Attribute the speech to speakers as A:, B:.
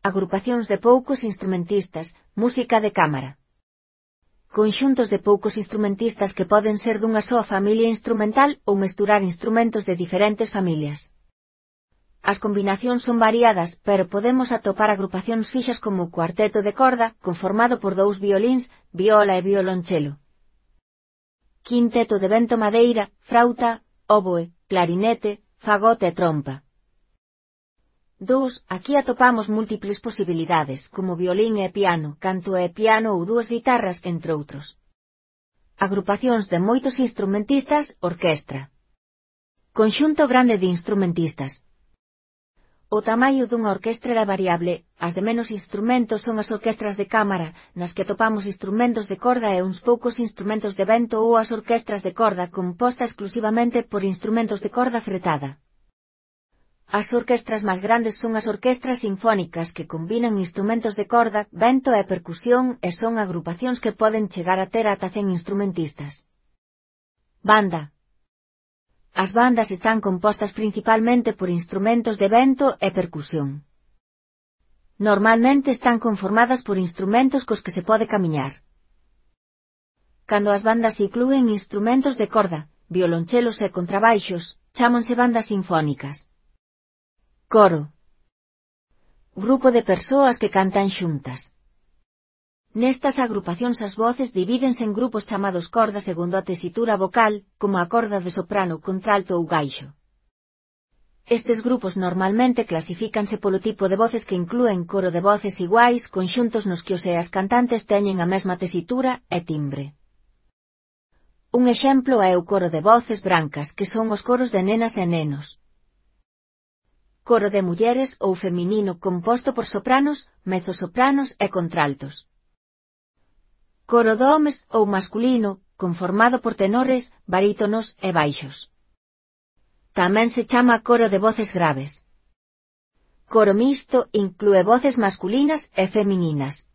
A: Agrupacións de poucos instrumentistas, música de cámara. Conxuntos de poucos instrumentistas que poden ser dunha soa familia instrumental ou mesturar instrumentos de diferentes familias. As combinacións son variadas, pero podemos atopar agrupacións fixas como o cuarteto de corda, conformado por 2 violíns, viola e violonchelo. Quinteto de vento madeira, frauta, óboe, clarinete, fagote e trompa. 2. Aquí atopamos múltiples posibilidades, como violín e piano, canto e piano ou 2 guitarras, entre outros. Agrupacións de moitos instrumentistas, orquestra. Conxunto grande de instrumentistas. O tamaño dunha orquestra é variable, as de menos instrumentos son as orquestras de cámara, nas que atopamos instrumentos de corda e uns poucos instrumentos de vento ou as orquestras de corda composta exclusivamente por instrumentos de corda fretada. As orquestras máis grandes son as orquestras sinfónicas que combinan instrumentos de corda, vento e percusión e son agrupacións que poden chegar a ter ata 100 instrumentistas. Banda. As bandas están compostas principalmente por instrumentos de vento e percusión. Normalmente están conformadas por instrumentos cos que se pode camiñar. Cando as bandas inclúen instrumentos de corda, violonchelos e contrabaixos, chámanse bandas sinfónicas. Coro. Grupo de persoas que cantan xuntas. Nestas agrupacións as voces divídense en grupos chamados corda segundo a tesitura vocal, como a corda de soprano, contralto ou gaixo. Estes grupos normalmente clasifícanse polo tipo de voces que inclúen coro de voces iguais, conxuntos nos que os e as cantantes teñen a mesma tesitura e timbre. Un exemplo é o coro de voces brancas, que son os coros de nenas e nenos. Coro de mulleres ou feminino composto por sopranos, mezzosopranos e contraltos. Coro de homes ou masculino, conformado por tenores, barítonos e baixos. Tamén se chama coro de voces graves. Coro mixto inclúe voces masculinas e femininas.